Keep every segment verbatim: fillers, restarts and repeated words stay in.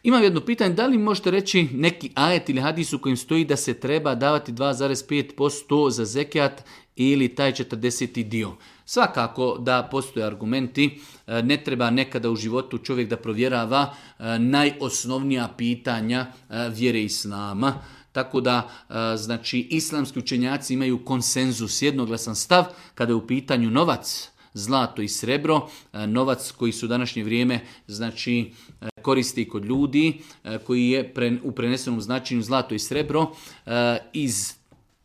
Imam jedno pitanje, da li možete reći neki ajet ili hadis u kojem stoji da se treba davati dva zarez pet posto za zekijat ili taj četrdeseti dio? Svakako da postoje argumenti, ne treba nekada u životu čovjek da provjerava najosnovnija pitanja vjere islama. Tako da, znači, islamski učenjaci imaju konsenzus, jednoglasan stav kada je u pitanju novac, zlato i srebro, novac koji su u današnje vrijeme, znači, koristi kod ljudi, koji je u prenesenom značenju zlato i srebro, iz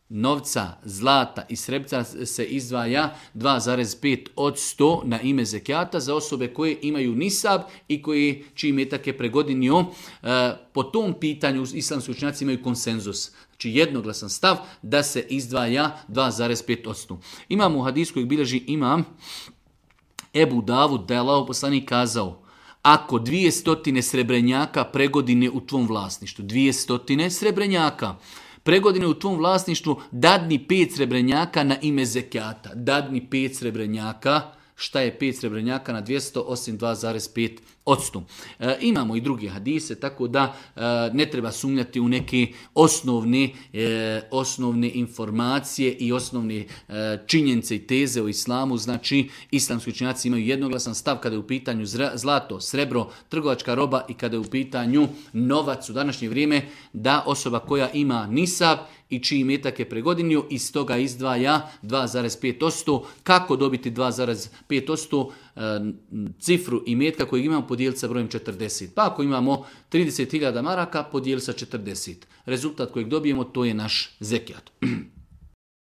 novca, zlata i srebra se izdvaja dva zarez pet posto na ime zekijata za osobe koje imaju nisab i koji, čiji metak je pregodinio. Po tom pitanju islamski učenjaci imaju konsenzus. Znači jednoglasan stav da se izdvaja dva zarez pet posto. Imamo u hadisu kojeg bilježi imam Ebu Davud da je Allahov poslanik kazao: ako dvije stotine srebrenjaka pregodine u tvom vlasništvu, dvije stotine srebrenjaka pregodine u tvom vlasništvu, dadni pet srebrenjaka na ime zekijata. Dadni pet srebrenjaka. Šta je pet srebrenjaka na dvjesto osim dva zarez pet posto? E, imamo i druge hadise, tako da e, ne treba sumnjati u neke osnovne, e, osnovne informacije i osnovne e, činjenice i teze o islamu. Znači, islamski učenjaci imaju jednoglasan stav kada je u pitanju zlato, srebro, trgovačka roba i kada je u pitanju novac u današnje vrijeme, da osoba koja ima nisab i čiji metak je pregodinio, iz toga izdvaja dva zarez pet posto. Kako dobiti dva zarez pet posto? E, cifru i metka kojeg imamo podijeliti sa brojem četrdeset. Pa ako imamo trideset hiljada maraka, podijeliti sa četrdeset. Rezultat kojeg dobijemo, to je naš zekijat.